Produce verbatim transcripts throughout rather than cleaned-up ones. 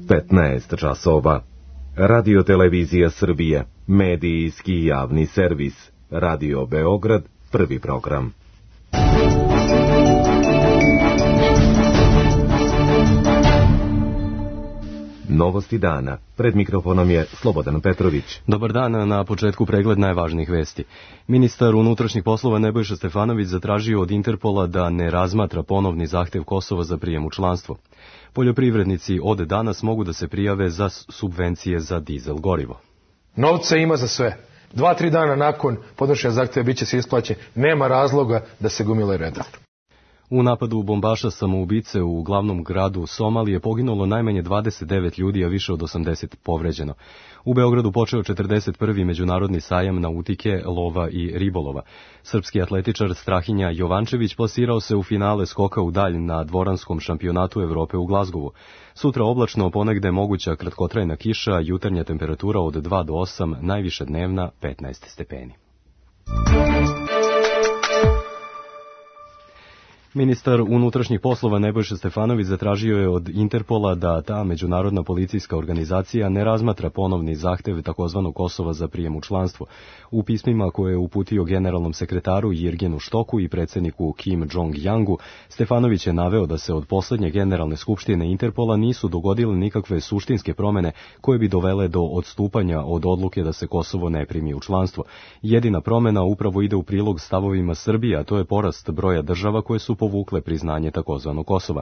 petnaest časova. Radio Televizija Srbije, medijski javni servis. Radio Beograd, prvi program. Novosti dana. Pred mikrofonom je Slobodan Petrović. Dobar dan, na početku pregled najvažnijih vesti. Ministar unutrašnjih poslova Nebojša Stefanović zatražio od Interpola da ne razmatra ponovni zahtev Kosova za prijem u članstvo. Poljoprivrednici od danas mogu da se prijave za subvencije za dizel gorivo. Novca ima za sve. Dva, tri dana nakon podnošenja zahteva biće se isplaćen. Nema razloga da se gomilaju redom. U napadu bombaša samoubice u glavnom gradu Somalije poginulo najmanje dvadeset devet ljudi, a više od osamdeset povređeno. U Beogradu počeo četrdeset prvi međunarodni sajam nautike, lova i ribolova. Srpski atletičar Strahinja Jovančević plasirao se u finale skoka u dalj na dvoranskom šampionatu Evrope u Glazgovu. Sutra oblačno, ponegde moguća kratkotrajna kiša, jutarnja temperatura od dva do osam, najviša dnevna petnaest stepeni. Ministar unutrašnjih poslova Nebojša Stefanović zatražio je od Interpola da ta međunarodna policijska organizacija ne razmatra ponovni zahtev takozvanog Kosova za prijem u članstvo. U pismima koje je uputio generalnom sekretaru Jirgenu Štoku i predsjedniku Kim Jong-jangu, Stefanović je naveo da se od poslednje generalne skupštine Interpola nisu dogodile nikakve suštinske promene koje bi dovele do odstupanja od odluke da se Kosovo ne primi u članstvo. Jedina promena upravo ide u prilog stavovima Srbije, a to je porast broja država koje su povukle priznanje takozvanog Kosova.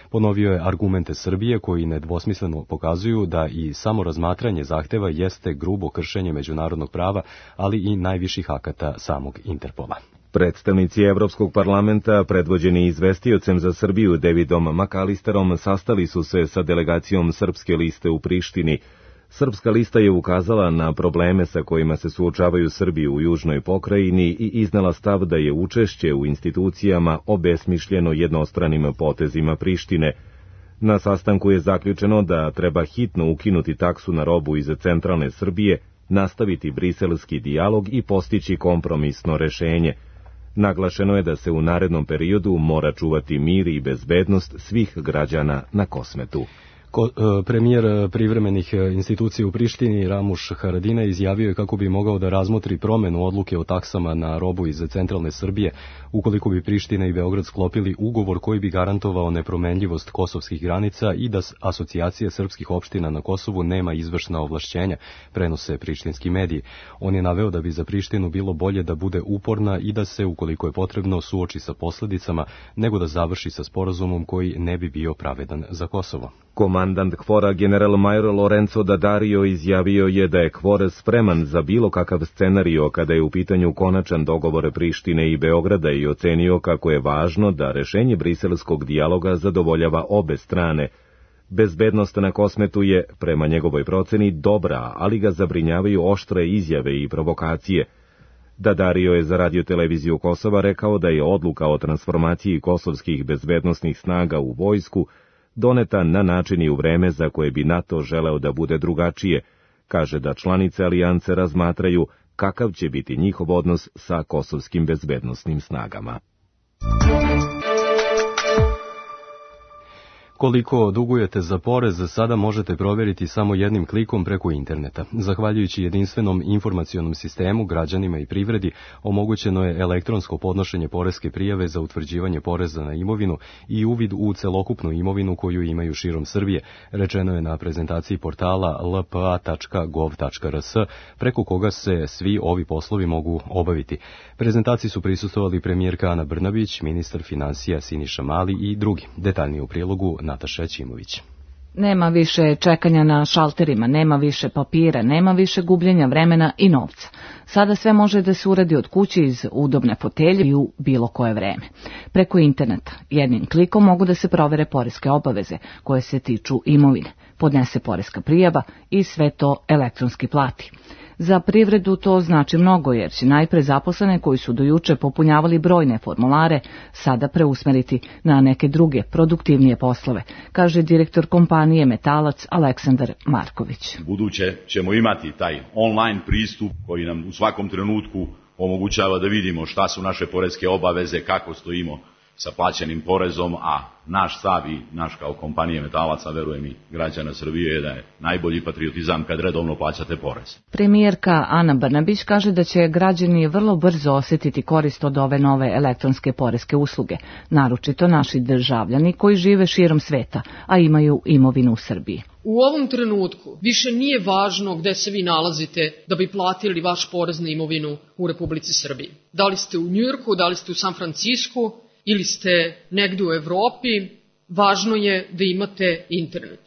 Ponovio je argumente Srbije koji nedvosmisleno pokazuju da i samo razmatranje zahteva jeste grubo kršenje međunarodnog prava, ali i najviših akata samog Interpola. Predstavnici Evropskog parlamenta, predvođeni izvestiocem za Srbiju Davidom McAllisterom, sastali su se sa delegacijom Srpske liste u Prištini. Srpska lista je ukazala na probleme sa kojima se suočavaju Srbi u južnoj pokrajini i iznela stav da je učešće u institucijama obesmišljeno jednostranim potezima Prištine. Na sastanku je zaključeno da treba hitno ukinuti taksu na robu iz centralne Srbije, nastaviti briselski dijalog i postići kompromisno rešenje. Naglašeno je da se u narednom periodu mora čuvati mir i bezbednost svih građana na Kosmetu. Ko, premijer privremenih institucija u Prištini Ramuš Haradinaj izjavio je kako bi mogao da razmotri promenu odluke o taksama na robu iz centralne Srbije ukoliko bi Priština i Beograd sklopili ugovor koji bi garantovao nepromenljivost kosovskih granica i da asocijacija srpskih opština na Kosovu nema izvršna ovlašćenja, prenose prištinski mediji. On je naveo da bi za Prištinu bilo bolje da bude uporna i da se, ukoliko je potrebno, suoči sa posledicama, nego da završi sa sporazumom koji ne bi bio pravedan za Kosovo. Komandant KFOR-a general major Lorenzo Daddario izjavio je da je KFOR spreman za bilo kakav scenario kada je u pitanju konačan dogovor Prištine i Beograda i ocenio kako je važno da rešenje briselskog dijaloga zadovoljava obe strane. Bezbednost na Kosmetu je, prema njegovoj proceni, dobra, ali ga zabrinjavaju oštre izjave i provokacije. Daddario je za Radio Televiziju Kosova rekao da je odluka o transformaciji kosovskih bezbednosnih snaga u vojsku doneta na način i u vreme za koje bi NATO želeo da bude drugačije. Kaže da članice alijance razmatraju kakav će biti njihov odnos sa kosovskim bezbednosnim snagama. Koliko dugujete za porez, sada možete provjeriti samo jednim klikom preko interneta. Zahvaljujući jedinstvenom informacionom sistemu, građanima i privredi omogućeno je elektronsko podnošenje poreske prijave za utvrđivanje poreza na imovinu i uvid u celokupnu imovinu koju imaju širom Srbije, rečeno je na prezentaciji portala l p a tačka gov tačka r s, preko koga se svi ovi poslovi mogu obaviti. Prezentaciji su prisustvovali premijerka Ana Brnabić, ministar finansija Siniša Mali i drugi. Detaljnije u prilogu Nataša Ćimović. Nema više čekanja na šalterima, nema više papira, nema više gubljenja vremena i novca. Sada sve može da se uradi od kuće iz udobne fotelje i u bilo koje vreme. Preko interneta jednim klikom mogu da se provere poreske obaveze koje se tiču imovine, podnese poreska prijava i sve to elektronski plati. Za privredu to znači mnogo, jer će najpre zaposlene koji su do juče popunjavali brojne formulare sada preusmeriti na neke druge, produktivnije poslove, kaže direktor kompanije Metalac Aleksandar Marković. Buduće ćemo imati taj online pristup koji nam u svakom trenutku omogućava da vidimo šta su naše poreske obaveze, kako stojimo sa plaćenim porezom, a naš stav i naš kao kompanije metalaca, verujem i građana Srbije, je da je najbolji patriotizam kad redovno plaćate porez. Premijerka Ana Brnabić kaže da će građani vrlo brzo osjetiti korist od ove nove elektronske poreske usluge, naročito naši državljani koji žive širom sveta, a imaju imovinu u Srbiji. U ovom trenutku više nije važno gde se vi nalazite da bi platili vaš porez na imovinu u Republici Srbiji. Da li ste u Njujorku, da li ste u San Francisku ili ste negde u Evropi, važno je da imate internet.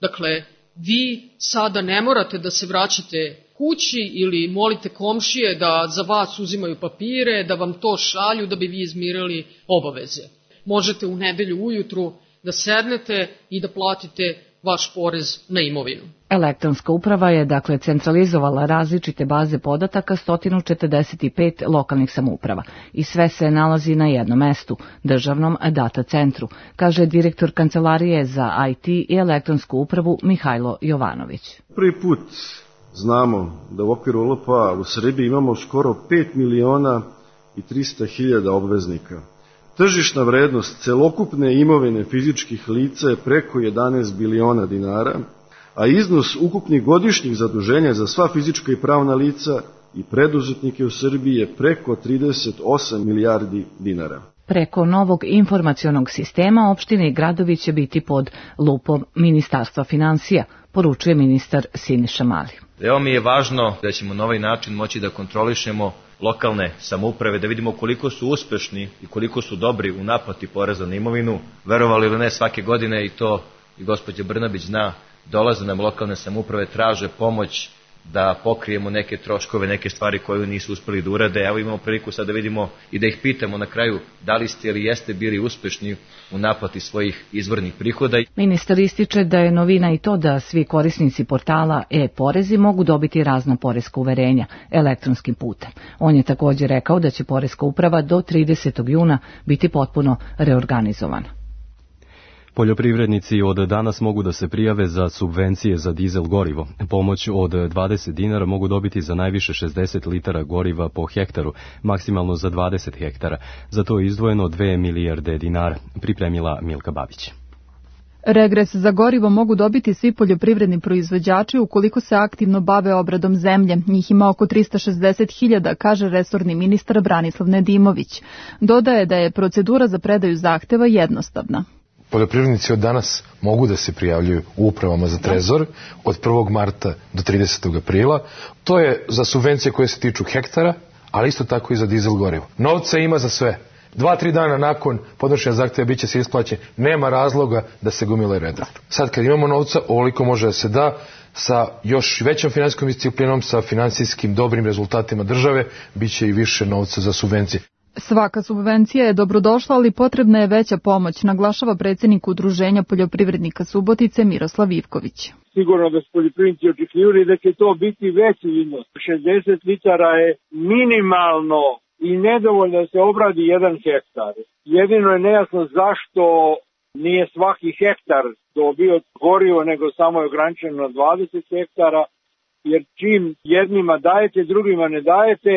Dakle, vi sada ne morate da se vraćate kući ili molite komšije da za vas uzimaju papire, da vam to šalju da bi vi izmirili obaveze. Možete u nedelju ujutru da sednete i da platite vaš porez na imovinu. Elektronska uprava je dakle centralizovala različite baze podataka sto četrdeset pet lokalnih samouprava i sve se nalazi na jednom mestu, državnom data centru, kaže direktor Kancelarije za I T i elektronsku upravu Mihajlo Jovanović. Prvi put znamo da u okviru L P A u Srbiji imamo skoro pet miliona i trista hiljada obveznika. Tržišna vrednost celokupne imovine fizičkih lica je preko jedanaest biliona dinara, a iznos ukupnih godišnjih zaduženja za sva fizička i pravna lica i preduzetnike u Srbiji je preko trideset osam milijardi dinara. Preko novog informacionog sistema opštine i gradovi će biti pod lupom Ministarstva finansija, poručuje ministar Siniša Mali. Evo mi je važno da ćemo na ovaj način moći da kontrolišemo lokalne samouprave, da vidimo koliko su uspešni i koliko su dobri u naplati poreza na imovinu. Verovali ili ne, svake godine, i to i gospođa Brnabić zna, dolaze nam lokalne samouprave, traže pomoć da pokrijemo neke troškove, neke stvari koje nisu uspeli da urade. Evo imamo priliku sad da vidimo i da ih pitamo na kraju da li ste ili jeste bili uspešni u naplati svojih izvornih prihoda. Ministar ističe da je novina i to da svi korisnici portala e-porezi mogu dobiti razna poreska uverenja elektronskim putem. On je također rekao da će poreska uprava do tridesetog juna biti potpuno reorganizovana. Poljoprivrednici od danas mogu da se prijave za subvencije za dizel gorivo. Pomoć od dvadeset dinara mogu dobiti za najviše šezdeset litara goriva po hektaru, maksimalno za dvadeset hektara. Za to je izdvojeno dve milijarde dinara, pripremila Milka Babić. Regres za gorivo mogu dobiti svi poljoprivredni proizvođači ukoliko se aktivno bave obradom zemlje. Njih ima oko trista šezdeset hiljada, kaže resorni ministar Branislav Nedimović. Dodaje da je procedura za predaju zahteva jednostavna. Poljoprivrednici od danas mogu da se prijavljuju u upravama za trezor od prvog marta do tridesetog aprila. To je za subvencije koje se tiču hektara, ali isto tako i za dizel gorivo. Novca ima za sve. Dva, tri dana nakon podnošenja zahteva biće se isplaćen. Nema razloga da se gomile reda. Sad kad imamo novca, ovoliko može da se da sa još većom finansijskom disciplinom, sa finansijskim dobrim rezultatima države, bit će i više novca za subvencije. Svaka subvencija je dobrodošla, ali potrebna je veća pomoć, naglašava predsjednik Udruženja poljoprivrednika Subotice Miroslav Ivković. Sigurno da su poljoprivrednici očekivali da će to biti veći iznos. šezdeset litara je minimalno i nedovoljno da se obradi jedan hektar. Jedino je nejasno zašto nije svaki hektar dobio gorivo, nego samo je ograničeno na dvadeset hektara, jer čim jednima dajete, drugima ne dajete,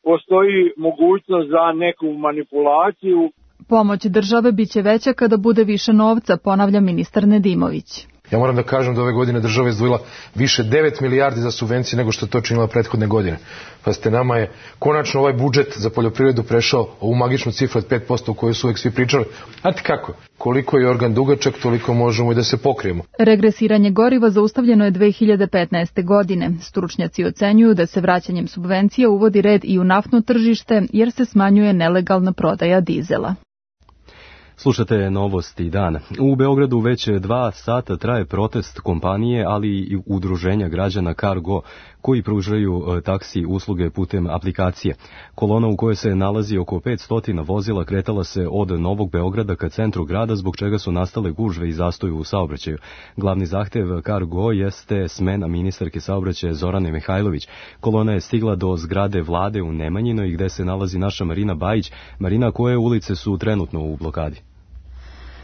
postoji mogućnost za neku manipulaciju. Pomoć države biće veća kada bude više novca, ponavlja ministar Nedimović. Ja moram da kažem da ove godine država je izdvojila više devet milijardi za subvencije nego što je to činila prethodne godine. Pa ste nama je konačno ovaj budžet za poljoprivredu prešao ovu magičnu cifru od pet posto o kojoj su uvek svi pričali. Znate kako? Koliko je organ dugačak, toliko možemo i da se pokrijemo. Regresiranje goriva zaustavljeno je dve hiljade petnaeste. godine. Stručnjaci ocenjuju da se vraćanjem subvencija uvodi red i u naftno tržište jer se smanjuje nelegalna prodaja dizela. Slušate Novosti dana. U Beogradu već dva sata traje protest kompanije, ali i udruženja građana Cargo, koji pružaju taksi usluge putem aplikacije. Kolona u kojoj se nalazi oko petsto vozila kretala se od Novog Beograda ka centru grada, zbog čega su nastale gužve i zastoj u saobraćaju. Glavni zahtev Cargo jeste smena ministarke saobraćaja Zorane Mihajlović. Kolona je stigla do zgrade vlade u Nemanjinoj, gde se nalazi naša Marina Bajić. Marina, koje ulice su trenutno u blokadi?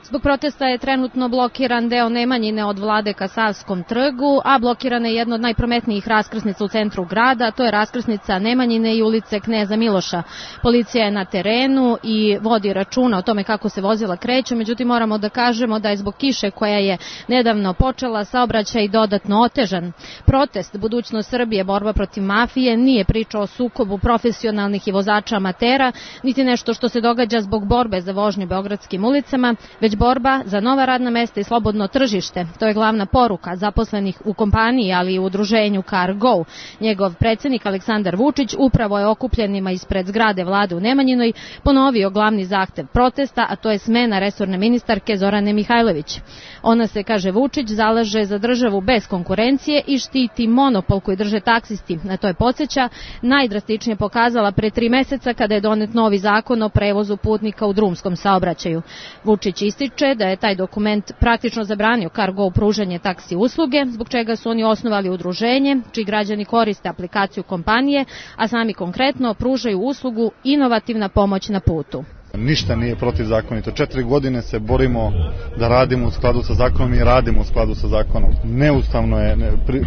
Zbog protesta je trenutno blokiran deo Nemanjine od Vlade ka Savskom trgu, a blokirana je jedna od najprometnijih raskrsnica u centru grada, to je raskrsnica Nemanjine i ulice Kneza Miloša. Policija je na terenu i vodi računa o tome kako se vozila kreću, međutim moramo da kažemo da je zbog kiše koja je nedavno počela saobraćaj dodatno otežan. Protest Budućnost Srbije, borba protiv mafije nije priča o sukobu profesionalnih i vozača amatera, niti nešto što se događa zbog borbe za vožnju beogradskim ulicama, već borba za nova radna mesta i slobodno tržište. To je glavna poruka zaposlenih u kompaniji, ali i u udruženju CarGo. Njegov predsjednik Aleksandar Vučić upravo je okupljenima ispred zgrade vlade u Nemanjinoj ponovio glavni zahtev protesta, a to je smena resorne ministarke Zorane Mihajlović. Ona se, kaže Vučić, zalaže za državu bez konkurencije i štiti monopol koji drže taksisti. Na to je podsjeća najdrastičnije pokazala pre tri meseca kada je donet novi zakon o prevozu putnika u drumskom saobraćaju. Vučić ističe da je taj dokument praktično zabranio CarGo pružanje taksi usluge, zbog čega su oni osnovali udruženje, čiji građani koriste aplikaciju kompanije, a sami konkretno pružaju uslugu inovativna pomoć na putu. Ništa nije protivzakonito. Četiri godine se borimo da radimo u skladu sa zakonom i radimo u skladu sa zakonom. Neustavno je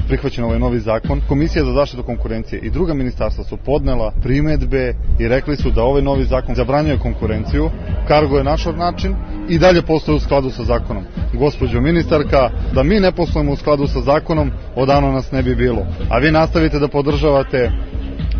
prihvaćen ovaj novi zakon. Komisija za zaštitu konkurencije i druga ministarstva su podnela primedbe i rekli su da ovaj novi zakon zabranjuje konkurenciju. CarGo je naš način i dalje postoje u skladu sa zakonom. Gospođo ministarka, da mi ne poslujemo u skladu sa zakonom, odavno nas ne bi bilo. A vi nastavite da podržavate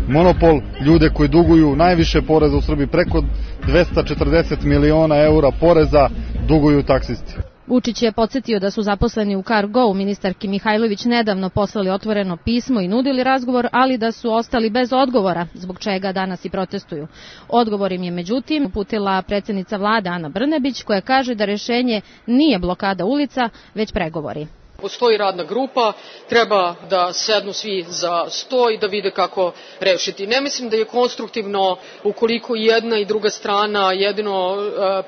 monopol, ljude koji duguju najviše poreza u Srbiji, preko dvesta četrdeset miliona eura poreza duguju taksisti. Vučić je podsjetio da su zaposleni u CarGo ministarki Mihajlović nedavno poslali otvoreno pismo i nudili razgovor, ali da su ostali bez odgovora, zbog čega danas i protestuju. Odgovor im je međutim uputila predsjednica vlade Ana Brnabić, koja kaže da rešenje nije blokada ulica, već pregovori. Postoji radna grupa, treba da sednu svi za sto i da vide kako rešiti. Ne mislim da je konstruktivno ukoliko jedna i druga strana jedino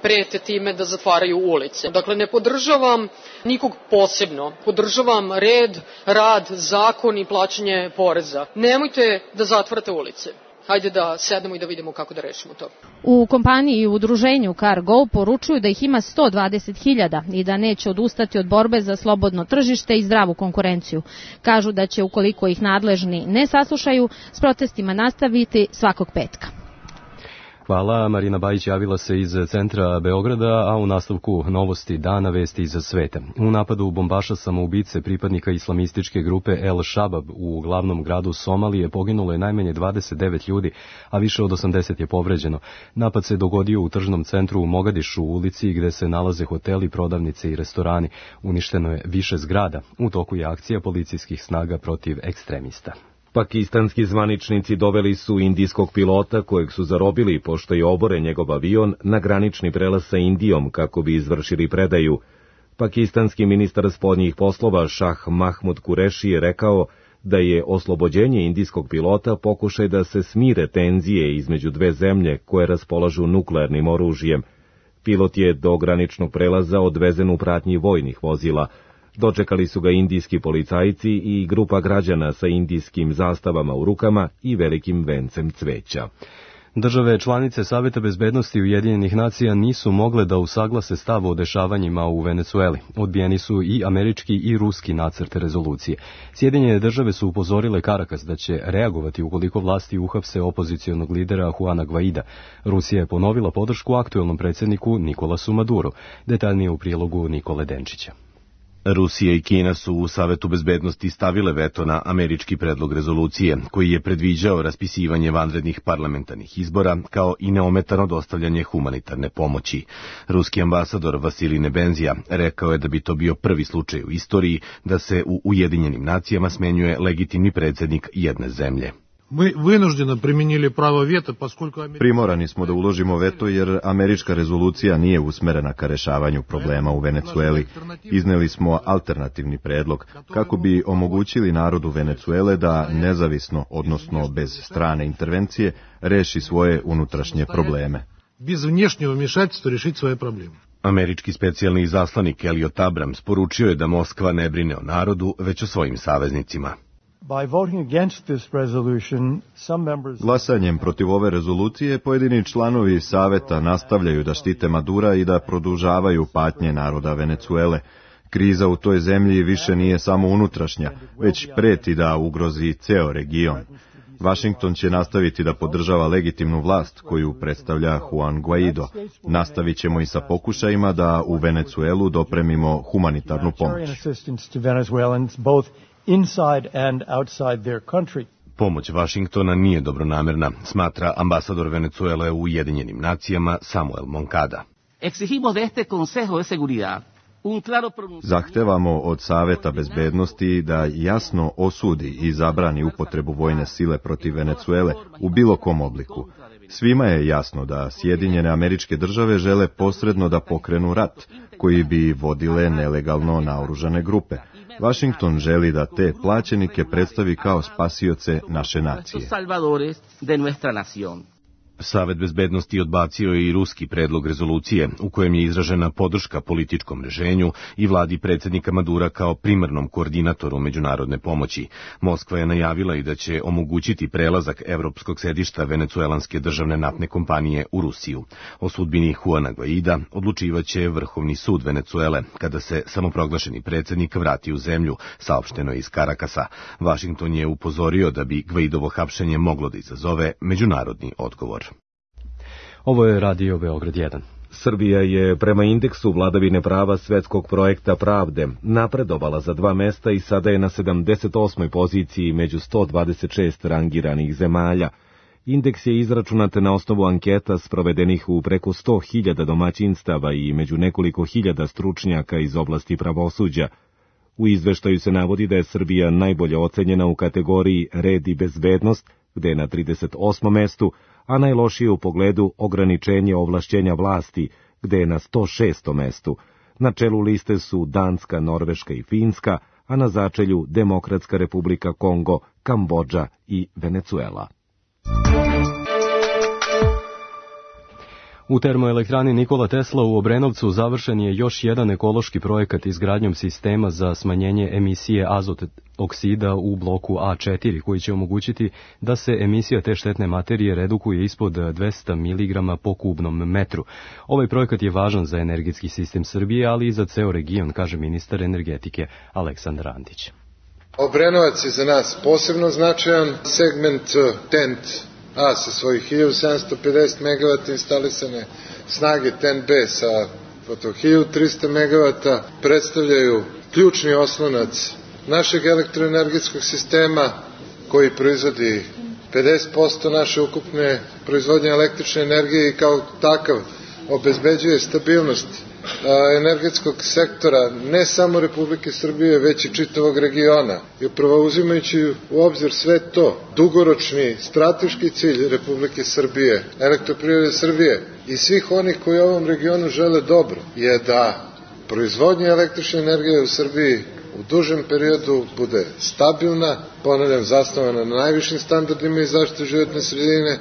prete time da zatvaraju ulice. Dakle, ne podržavam nikog posebno. Podržavam red, rad, zakon i plaćanje poreza. Nemojte da zatvarate ulice. Hajde da sednemo i da vidimo kako da rešimo to. U kompaniji i udruženju CarGo poručuju da ih ima sto dvadeset hiljada i da neće odustati od borbe za slobodno tržište i zdravu konkurenciju. Kažu da će, ukoliko ih nadležni ne saslušaju, s protestima nastaviti svakog petka. Hvala. Marina Bajić javila se iz centra Beograda, a u nastavku novosti dana vesti iz sveta. U napadu bombaša samoubice pripadnika islamističke grupe El Shabab u glavnom gradu Somalije poginulo je najmanje dvadeset devet ljudi, a više od osamdeset je povređeno. Napad se dogodio u tržnom centru u Mogadišu, u ulici gde se nalaze hoteli, prodavnice i restorani. Uništeno je više zgrada. U toku je akcija policijskih snaga protiv ekstremista. Pakistanski zvaničnici doveli su indijskog pilota kojeg su zarobili pošto je oboren njegov avion na granični prelaz sa Indijom kako bi izvršili predaju. Pakistanski ministar spoljnih poslova Šah Mahmud Kureši je rekao da je oslobođenje indijskog pilota pokušaj da se smire tenzije između dve zemlje koje raspolažu nuklearnim oružjem. Pilot je do graničnog prelaza odvezen u pratnji vojnih vozila. Dočekali su ga indijski policajci i grupa građana sa indijskim zastavama u rukama i velikim vencem cveća. Države članice Saveta bezbednosti Ujedinjenih nacija nisu mogle da usaglase stav o dešavanjima u Venecueli. Odbijeni su i američki i ruski nacrt rezolucije. Sjedinjene države su upozorile Karakas da će reagovati ukoliko vlasti uhapse opozicionog lidera Juana Guaida. Rusija je ponovila podršku aktuelnom predsjedniku Nikolasu Maduru. Detaljnije u prilogu Nikole Denčića. Rusija i Kina su u Savetu bezbednosti stavile veto na američki predlog rezolucije, koji je predviđao raspisivanje vanrednih parlamentarnih izbora, kao i neometano dostavljanje humanitarne pomoći. Ruski ambasador Vasilij Nebenzija rekao je da bi to bio prvi slučaj u istoriji da se u Ujedinjenim nacijama smenjuje legitimni predsjednik jedne zemlje. Primorani smo da uložimo veto jer američka rezolucija nije usmerena ka rešavanju problema u Venecueli. Izneli smo alternativni predlog kako bi omogućili narodu Venecuele da nezavisno, odnosno bez strane intervencije, reši svoje unutrašnje probleme. Američki specijalni izaslanik Elliot Abrams poručio je da Moskva ne brine o narodu, već o svojim saveznicima. Glasanjem protiv ove rezolucije pojedini članovi Saveta nastavljaju da štite Madura i da produžavaju patnje naroda Venecuele. Kriza u toj zemlji više nije samo unutrašnja, već preti da ugrozi ceo region. Vašington će nastaviti da podržava legitimnu vlast koju predstavlja Juan Guaido. Nastavit ćemo i sa pokušajima da u Venecuelu dopremimo humanitarnu pomoć. Pomoć Vašingtona nije dobronamerna, smatra ambasador Venecuele u Ujedinjenim nacijama Samuel Moncada. Zahtevamo od Saveta bezbednosti da jasno osudi i zabrani upotrebu vojne sile protiv Venecuele u bilo kom obliku. Svima je jasno da Sjedinjene Američke Države žele posredno da pokrenu rat, koji bi vodile nelegalno naoružane grupe. Vašington želi da te plaćenike predstavi kao spasioce naše nacije. Savet bezbednosti odbacio je i ruski predlog rezolucije u kojem je izražena podrška političkom rešenju i vladi predsjednika Madura kao primarnom koordinatoru međunarodne pomoći. Moskva je najavila i da će omogućiti prelazak evropskog sedišta venecuelanske državne naftne kompanije u Rusiju. O sudbini Juana Guaida odlučivaće Vrhovni sud Venecuele kada se samoproglašeni predsjednik vrati u zemlju, saopšteno je iz Karakasa. Vašington je upozorio da bi Guaidovo hapšenje moglo da izazove međunarodni odgovor. Ovo je Radio Beograd jedan. Srbija je prema indeksu vladavine prava svetskog projekta Pravde napredovala za dva mesta i sada je na sedamdeset osmoj poziciji među sto dvadeset šest rangiranih zemalja. Indeks je izračunat na osnovu anketa sprovedenih u preko sto hiljada domaćinstava i među nekoliko hiljada stručnjaka iz oblasti pravosuđa. U izveštaju se navodi da je Srbija najbolje ocenjena u kategoriji red i bezbednost, gde je na trideset osmom mestu, a najlošije u pogledu ograničenje ovlašćenja vlasti, gde je na sto šestom mestu. Na čelu liste su Danska, Norveška i Finska, a na začelju Demokratska republika Kongo, Kambodža i Venecuela. U termoelektrani Nikola Tesla u Obrenovcu završen je još jedan ekološki projekat izgradnjom sistema za smanjenje emisije azot oksida u bloku A četiri, koji će omogućiti da se emisija te štetne materije redukuje ispod dvesta miligrama po kubnom metru. Ovaj projekat je važan za energetski sistem Srbije, ali i za ceo region, kaže ministar energetike Aleksandar Antić. Obrenovac je za nas posebno značajan segment T E N T A sa svojih hiljadu sedamsto pedeset megavata instalisane snage, T E N B sa hiljadu trista megavata predstavljaju ključni oslonac našeg elektroenergetskog sistema koji proizvodi pedeset posto naše ukupne proizvodnje električne energije i kao takav obezbeđuje stabilnost energetskog sektora ne samo Republike Srbije, već i čitavog regiona. I upravo uzimajući u obzir sve to, dugoročni strateški cilj Republike Srbije, Elektroprivrede Srbije i svih onih koji ovom regionu žele dobro, je da proizvodnja električne energije u Srbiji u dužem periodu bude stabilna, ponavljam, zasnovana na najvišim standardima i zaštite životne sredine.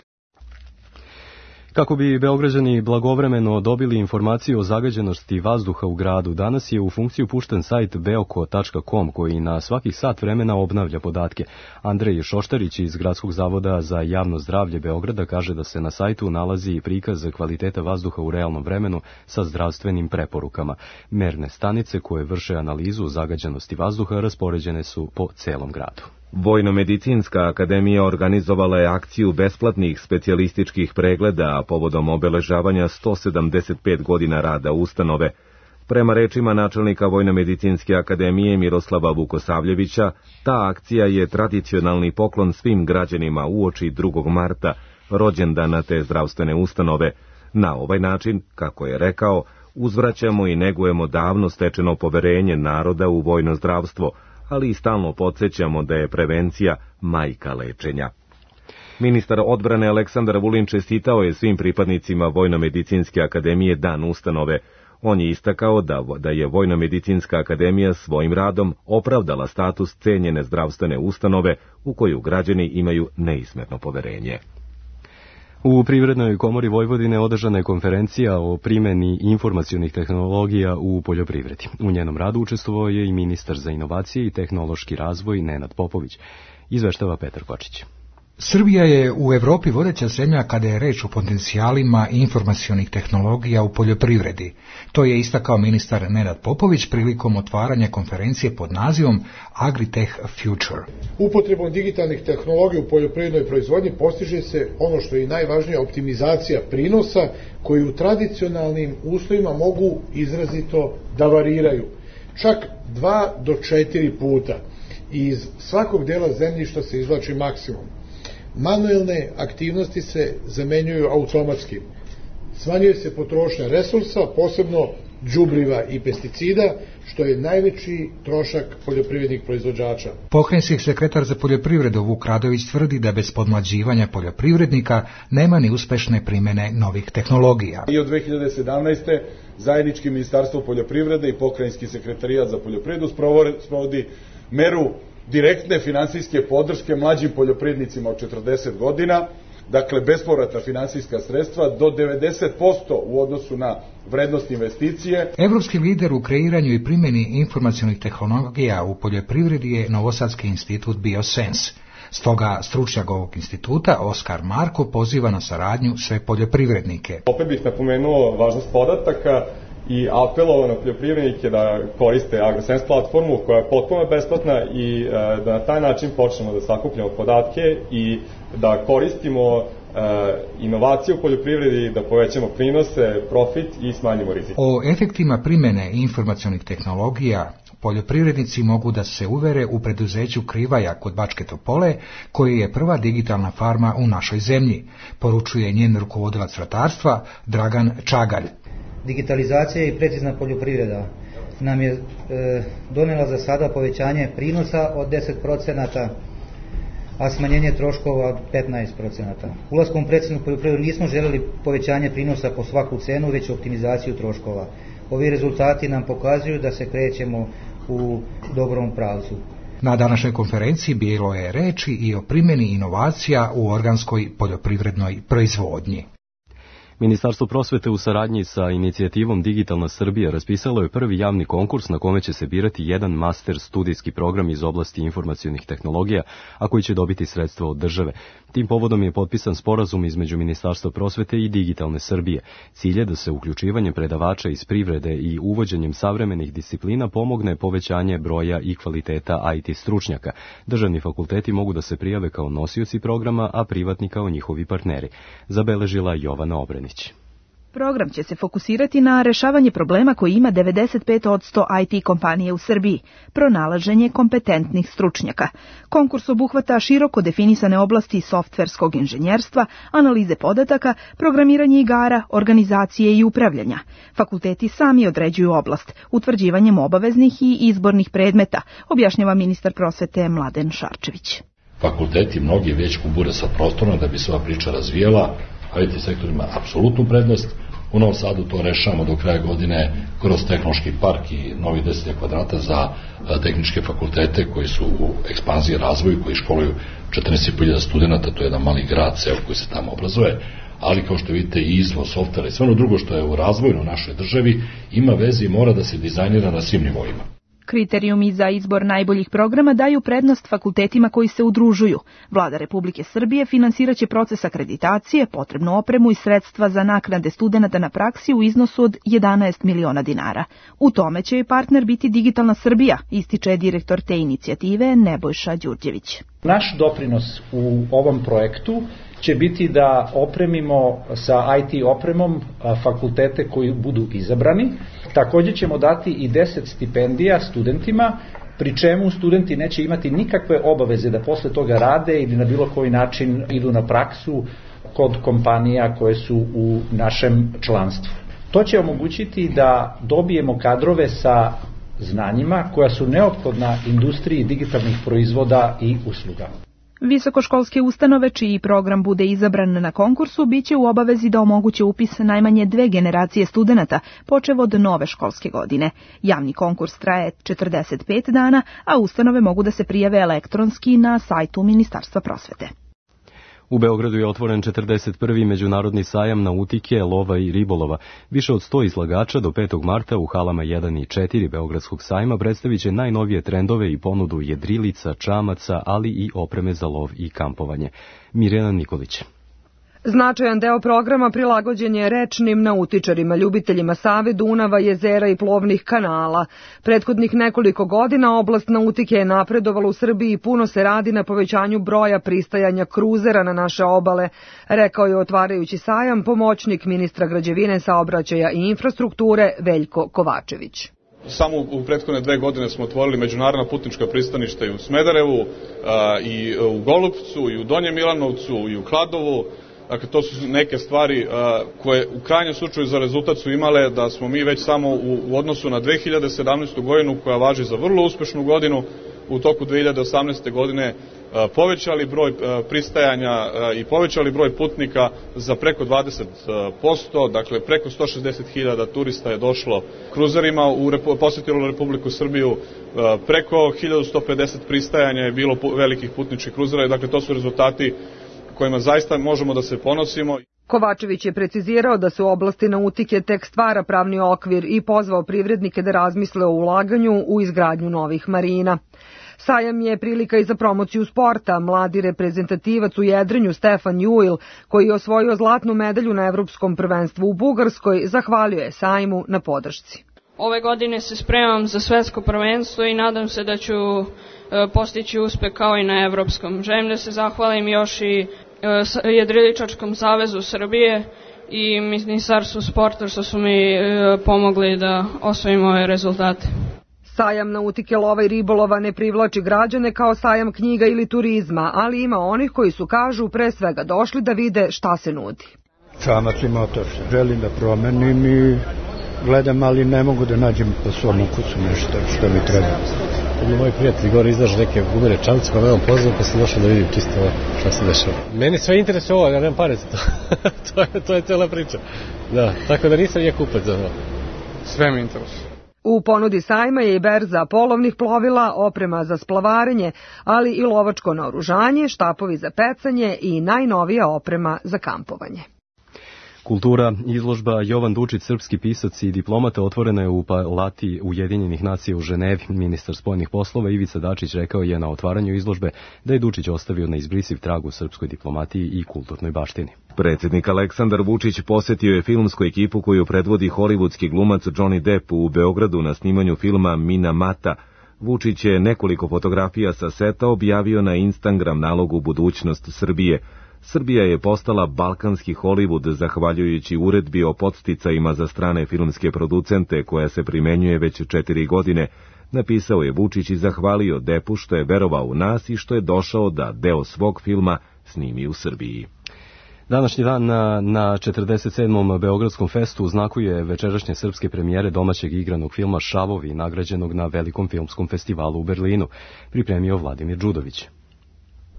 Kako bi Beograđani blagovremeno dobili informaciju o zagađenosti vazduha u gradu, danas je u funkciju pušten sajt beoko tačka com koji na svakih sat vremena obnavlja podatke. Andrej Šoštarić iz Gradskog zavoda za javno zdravlje Beograda kaže da se na sajtu nalazi prikaz kvaliteta vazduha u realnom vremenu sa zdravstvenim preporukama. Merne stanice koje vrše analizu zagađenosti vazduha raspoređene su po celom gradu. Vojno-medicinska akademija organizovala je akciju besplatnih specijalističkih pregleda povodom obeležavanja sto sedamdeset pet godina rada ustanove. Prema rečima načelnika Vojno-medicinske akademije Miroslava Vukosavljevića, ta akcija je tradicionalni poklon svim građanima uoči drugog marta, rođendana te zdravstvene ustanove. Na ovaj način, kako je rekao, uzvraćamo i negujemo davno stečeno poverenje naroda u vojno zdravstvo, ali i stalno podsjećamo da je prevencija majka lečenja. Ministar odbrane Aleksandar Vulin čestitao je svim pripadnicima Vojno-medicinske akademije dan ustanove. On je istakao da, da je Vojno-medicinska akademija svojim radom opravdala status cenjene zdravstvene ustanove u koju građani imaju neismetno poverenje. U Privrednoj komori Vojvodine održana je konferencija o primjeni informacionih tehnologija u poljoprivredi. U njenom radu učestvovao je i ministar za inovacije i tehnološki razvoj Nenad Popović. Izveštava Petar Kočić. Srbija je u Evropi vodeća zemlja kada je reč o potencijalima informacionih tehnologija u poljoprivredi. To je istakao ministar Nenad Popović prilikom otvaranja konferencije pod nazivom Agritech Future. Upotrebom digitalnih tehnologija u poljoprivrednoj proizvodnji postiže se ono što je i najvažnija optimizacija prinosa koji u tradicionalnim uslovima mogu izrazito da variraju. Čak dva do četiri puta. Iz svakog dela zemljišta se izvlači maksimum. Manuelne aktivnosti se zamenjuju automatski. Smanjuje se potrošnja resursa, posebno đubriva i pesticida, što je najveći trošak poljoprivrednih proizvođača. Pokrajinski sekretar za poljoprivredu Vuk Radović tvrdi da bez podmlađivanja poljoprivrednika nema ni uspešne primjene novih tehnologija. I od dve hiljade sedamnaeste. zajednički Ministarstvo poljoprivrede i Pokrajinski sekretarijat za poljoprivredu sprovodi meru direktne finansijske podrške mlađim poljoprivrednicima od četrdeset godina, dakle bespovratna finansijska sredstva do devedeset posto u odnosu na vrednost investicije. Evropski lider u kreiranju i primjeni informacionih tehnologija u poljoprivredi je Novosadski institut Biosense. Stoga stručnjak ovog instituta, Oskar Marko, poziva na saradnju sve poljoprivrednike. Opet bih napomenuo važnost podataka i apelovao na poljoprivrednike da koriste AgroSense platformu koja je potpuno besplatna i da na taj način počnemo da sakupljamo podatke i da koristimo inovacije u poljoprivredi, da povećamo prinose, profit i smanjimo rizik. O efektima primjene informacionih tehnologija poljoprivrednici mogu da se uvere u preduzeću Krivaja kod Bačke Topole, koji je prva digitalna farma u našoj zemlji, poručuje njen rukovodilac ratarstva Dragan Čagalj. Digitalizacija i precizna poljoprivreda nam je e, donela za sada povećanje prinosa od deset procenata, a smanjenje troškova od petnaest procenata. Ulaskom u preciznu poljoprivredu nismo želeli povećanje prinosa po svaku cenu, već optimizaciju troškova. Ovi rezultati nam pokazuju da se krećemo u dobrom pravcu. Na današnjoj konferenciji bilo je reči i o primjeni inovacija u organskoj poljoprivrednoj proizvodnji. Ministarstvo prosvete u saradnji sa inicijativom Digitalna Srbija raspisalo je prvi javni konkurs na kome će se birati jedan master studijski program iz oblasti informacionih tehnologija, a koji će dobiti sredstva od države. Tim povodom je potpisan sporazum između Ministarstva prosvete i Digitalne Srbije. Cilj je da se uključivanjem predavača iz privrede i uvođenjem savremenih disciplina pomogne povećanje broja i kvaliteta I T stručnjaka. Državni fakulteti mogu da se prijave kao nosioci programa, a privatni kao njihovi partneri. Zabeležila Jovana Obrenić. Program će se fokusirati na rešavanje problema koji ima devedeset pet posto I T kompanije u Srbiji, pronalaženje kompetentnih stručnjaka. Konkurs obuhvata široko definisane oblasti softverskog inženjerstva, analize podataka, programiranje igara, organizacije i upravljanja. Fakulteti sami određuju oblast, utvrđivanjem obaveznih i izbornih predmeta, objašnjava ministar prosvete Mladen Šarčević. Fakulteti mnogi već kubure sa prostorom da bi se ova priča razvijela, I T sektor ima apsolutnu prednost. U Novom Sadu to rešavamo do kraja godine kroz tehnološki park i novi deset kvadrata za tehničke fakultete koji su u ekspanziji razvoju, koji školuju četrnaest hiljada studenta, to je jedan mali grad, ceo koji se tamo obrazuje, ali kao što vidite i izvoz softvera i sve ono drugo što je u razvoju u našoj državi ima veze i mora da se dizajnira na svim nivoima. Kriterijumi za izbor najboljih programa daju prednost fakultetima koji se udružuju. Vlada Republike Srbije finansiraće proces akreditacije, potrebnu opremu i sredstva za naknade studenata na praksi u iznosu od jedanaest miliona dinara. U tome će i partner biti Digitalna Srbija, ističe direktor te inicijative Nebojša Đurđević. Naš doprinos u ovom projektu će biti da opremimo sa I T opremom fakultete koji budu izabrani. Također ćemo dati i deset stipendija studentima, pri čemu studenti neće imati nikakve obaveze da posle toga rade ili na bilo koji način idu na praksu kod kompanija koje su u našem članstvu. To će omogućiti da dobijemo kadrove sa znanjima koja su neophodna industriji digitalnih proizvoda i usluga. Visokoškolske ustanove čiji program bude izabran na konkursu biće u obavezi da omoguće upis najmanje dve generacije studenata, počev od nove školske godine. Javni konkurs traje četrdeset pet dana, a ustanove mogu da se prijave elektronski na sajtu Ministarstva prosvete. U Beogradu je otvoren četrdeset prvi međunarodni sajam nautike, lova i ribolova. Više od sto izlagača do petog marta u halama jedan i četiri Beogradskog sajma predstavit će najnovije trendove i ponudu jedrilica, čamaca, ali i opreme za lov i kampovanje. Mirjana Nikolić. Značajan deo programa prilagođen je rečnim nautičarima, ljubiteljima Save, Dunava, jezera i plovnih kanala. Prethodnih nekoliko godina oblast nautike je napredovala u Srbiji i puno se radi na povećanju broja pristajanja kruzera na naše obale, rekao je otvarajući sajam pomoćnik ministra građevine, saobraćaja i infrastrukture Veljko Kovačević. Samo u prethodne dve godine smo otvorili međunarodna putnička pristaništa i u Smederevu, i u Golupcu, i u Donjem Milanovcu, i u Kladovu. Dakle, to su neke stvari koje u krajnjem slučaju za rezultat su imale da smo mi već samo u, u odnosu na dve hiljade sedamnaestu. godinu, koja važi za vrlo uspešnu godinu, u toku dve hiljade osamnaeste. godine povećali broj pristajanja i povećali broj putnika za preko dvadeset posto, dakle preko sto šezdeset hiljada turista je došlo kruzerima, u posjetilo Republiku Srbiju, preko hiljadu sto pedeset pristajanja je bilo velikih putničkih kruzera, dakle to su rezultati kojima zaista možemo da se ponosimo. Kovačević je precizirao da se u oblasti nautike tek stvara pravni okvir i pozvao privrednike da razmisle o ulaganju u izgradnju novih marina. Sajam je prilika i za promociju sporta. Mladi reprezentativac u jedrenju Stefan Juil, koji je osvojio zlatnu medalju na Evropskom prvenstvu u Bugarskoj, zahvalio je sajmu na podršci. Ove godine se spremam za svetsko prvenstvo i nadam se da ću postići uspeh kao i na Evropskom. Želim da se zahvalim još i Jedriličačkom savezu Srbije i Ministarstvu sporta što su mi pomogli da osvojim ove rezultate. Sajam nautike, lova i ribolova ne privlači građane kao sajam knjiga ili turizma, ali ima onih koji su, kažu, pre svega došli da vide šta se nudi. Čamac i motor. Želim da promenim i gledam, ali ne mogu da nađem po svom ukusu nešto što mi treba. Moj prijatelj gore izlaže neke gumene čamce, pa me on pozvao, pa sam došao da vidim čisto šta se dešava. Meni sve interesuje ovo, ja nemam pare za to. to, je, to je cijela priča. Da, tako da nisam je kupac za to. Sve mi interesuje. U ponudi sajma je i berza polovnih plovila, oprema za splavarenje, ali i lovačko naoružanje, štapovi za pecanje i najnovija oprema za kampovanje. Kultura, izložba Jovan Dučić, srpski pisac i diplomata, otvorena je u Palati Ujedinjenih nacija u Ženevi. Ministar spoljnih poslova Ivica Dačić rekao je na otvaranju izložbe da je Dučić ostavio neizbrisiv trag u srpskoj diplomatiji i kulturnoj baštini. Predsjednik Aleksandar Vučić posjetio je filmsku ekipu koju predvodi hollywoodski glumac Johnny Depp u Beogradu na snimanju filma Minamata. Vučić je nekoliko fotografija sa seta objavio na Instagram nalogu Budućnost Srbije. Srbija je postala balkanski Hollywood zahvaljujući uredbi o podsticajima za strane filmske producente koja se primenjuje već četiri godine, napisao je Vučić i zahvalio Deppu što je verovao u nas i što je došao da deo svog filma snimi u Srbiji. Današnji dan na, na četrdeset sedmom Beogradskom festu znakuje večerašnje srpske premijere domaćeg igranog filma Šavovi, nagrađenog na Velikom filmskom festivalu u Berlinu, pripremio Vladimir Đudović.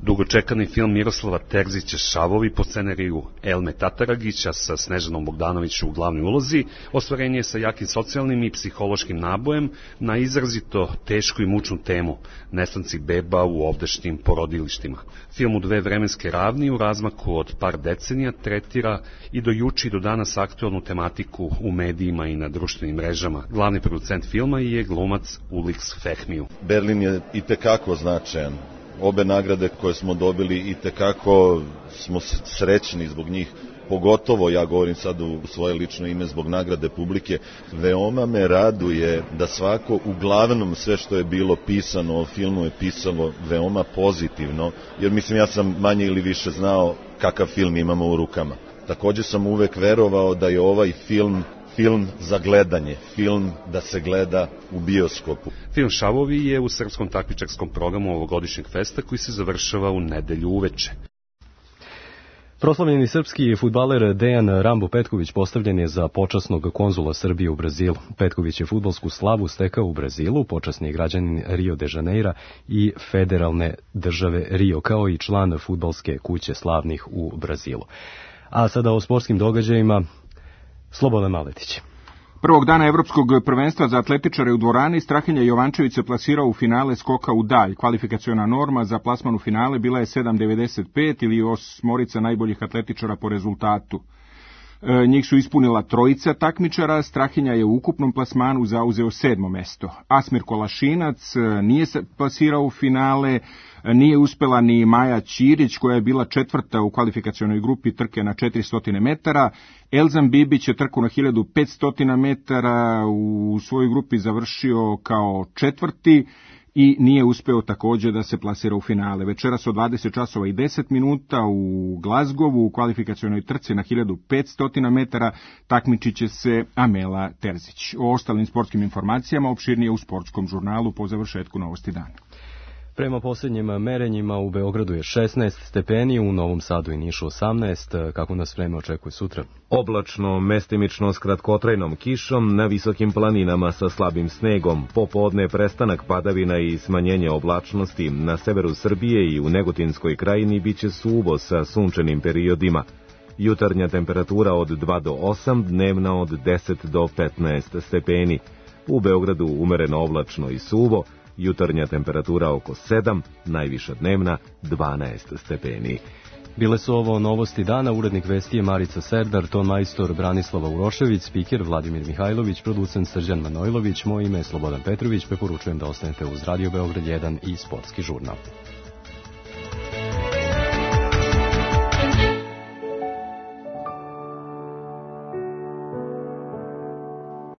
Dugočekani film Miroslava Terzića Šavovi po scenariju Elme Tataragića sa Snežanom Bogdanović u glavnoj ulozi ostvarenje je sa jakim socijalnim i psihološkim nabojem na izrazito tešku i mučnu temu nestanci beba u ovdašnjim porodilištima. Film u dve vremenske ravni u razmaku od par decenija tretira i do juče i do danas aktualnu tematiku u medijima i na društvenim mrežama. Glavni producent filma je glumac Ulix Fehmiju. Berlin je itekako značajan. Obe nagrade koje smo dobili i tekako smo srećni zbog njih, pogotovo ja govorim sad u svoje lično ime zbog nagrade publike. Veoma me raduje da svako, uglavnom sve što je bilo pisano o filmu je pisalo veoma pozitivno, jer mislim ja sam manje ili više znao kakav film imamo u rukama. Također sam uvek verovao da je ovaj film film za gledanje, film da se gleda u bioskopu. Film Šavovi je u srpskom takmičarskom programu ovogodišnjeg festa koji se završava u nedelju uveče. Proslavljeni srpski fudbaler Dejan Rambo Petković postavljen je za počasnog konzula Srbije u Brazilu. Petković je fudbalsku slavu stekao u Brazilu, počasni građanin Rio de Janeira i federalne države Rio, kao i član fudbalske kuće slavnih u Brazilu. A sada o sportskim događajima, Slobodan Maletić. Prvog dana evropskog prvenstva za atletičare u dvorani Strahinja Jovančević se plasirao u finale skoka u dalj. Kvalifikaciona norma za plasman u finale bila je sedam devedeset pet ili osmorica najboljih atletičara po rezultatu. E, njih su ispunila trojica takmičara, Strahinja je u ukupnom plasmanu zauzeo sedmo mesto. Asmir Kolašinac nije se plasirao u finale, nije uspela ni Maja Ćirić koja je bila četvrta u kvalifikacionoj grupi trke na četiristo metara. Elzan Bibić je trku na hiljadu petsto metara u svojoj grupi završio kao četvrti i nije uspeo također da se plasira u finale. Večeras od dvadeset časova i deset minuta u Glazgovu u kvalifikacionoj trci na hiljadu petsto metara takmičit će se Amela Terzić. O ostalim sportskim informacijama opširnije u sportskom žurnalu po završetku Novosti dana. Prema posljednjim merenjima u Beogradu je šesnaest stepeni, u Novom Sadu i Nišu osamnaest. Kako nas vreme očekuje sutra? Oblačno, mestimično s kratkotrajnom kišom, na visokim planinama sa slabim snegom, popodne prestanak padavina i smanjenje oblačnosti, na severu Srbije i u Negotinskoj krajini biće suvo sa sunčanim periodima. Jutarnja temperatura od dva do osam, dnevna od deset do petnaest stepeni. U Beogradu umereno oblačno i suvo, jutarnja temperatura oko sedam, najviša dnevna dvanaest stepeni. Bile su ovo novosti dana, urednik vesti je Marica Serdar, ton majstor Branislava Urošević, spiker Vladimir Mihajlović, producent Srđan Manojlović, moje ime je Slobodan Petrović, preporučujem da ostanete uz Radio Beograd jedan i sportski žurnal.